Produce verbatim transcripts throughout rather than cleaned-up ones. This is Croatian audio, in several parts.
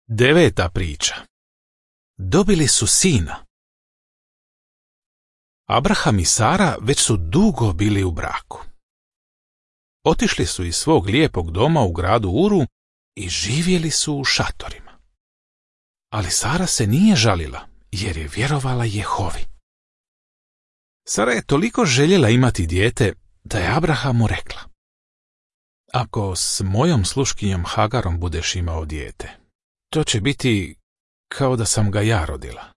Deveta priča. Dobili su sina. Abraham i Sara već su dugo bili u braku. Otišli su iz svog lijepog doma u gradu Uru i živjeli su u šatorima. Ali Sara se nije žalila, jer je vjerovala Jehovi. Sara je toliko željela imati dijete, da je Abrahamu rekla: Ako s mojom sluškinjom Hagarom budeš imao dijete, to će biti kao da sam ga ja rodila.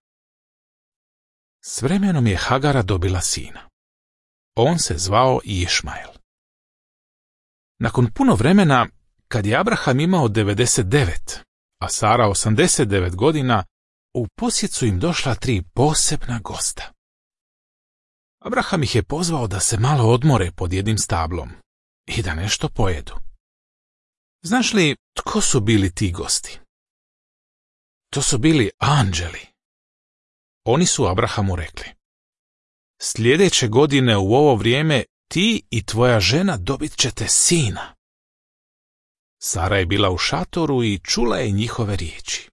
S vremenom je Hagara dobila sina. On se zvao Išmael. Nakon puno vremena, kad je Abraham imao devedeset devet, a Sara osamdeset devet godina, u posjet su im došla tri posebna gosta. Abraham ih je pozvao da se malo odmore pod jednim stablom i da nešto pojedu. Znaš li tko su bili ti gosti? To su bili anđeli. Oni su Abrahamu rekli: Sljedeće godine u ovo vrijeme ti i tvoja žena dobit ćete sina. Sara je bila u šatoru i čula je njihove riječi.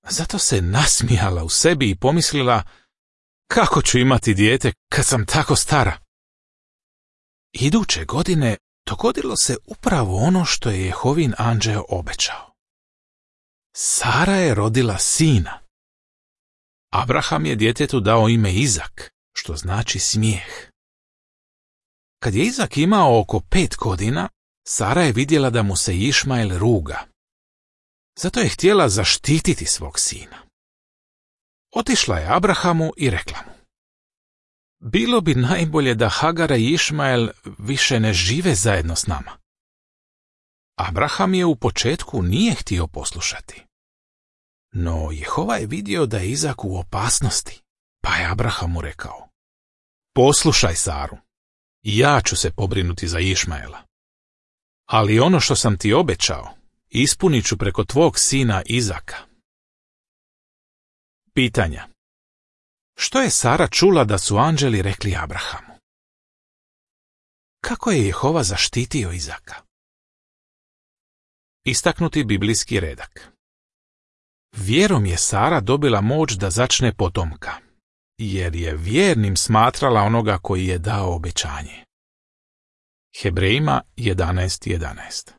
Zato se nasmijala u sebi i pomislila: Kako ću imati dijete kad sam tako stara? Iduće godine dogodilo se upravo ono što je Jehovin anđeo obećao. Sara je rodila sina. Abraham je djetetu dao ime Izak, što znači smijeh. Kad je Izak imao oko pet godina, Sara je vidjela da mu se Išmael ruga. Zato je htjela zaštititi svog sina. Otišla je Abrahamu i rekla mu: Bilo bi najbolje da Hagara i Išmael više ne žive zajedno s nama. Abraham je u početku nije htio poslušati. No Jehova je vidio da je Izak u opasnosti, pa je Abrahamu rekao: Poslušaj Saru, ja ću se pobrinuti za Išmaela. Ali ono što sam ti obećao, ispunit ću preko tvog sina Izaka. Pitanja. Što je Sara čula da su anđeli rekli Abrahamu? Kako je Jehova zaštitio Izaka? Istaknuti biblijski redak. Vjerom je Sara dobila moć da začne potomka, jer je vjernim smatrala onoga koji je dao obećanje. Hebrejima jedanaest jedanaest.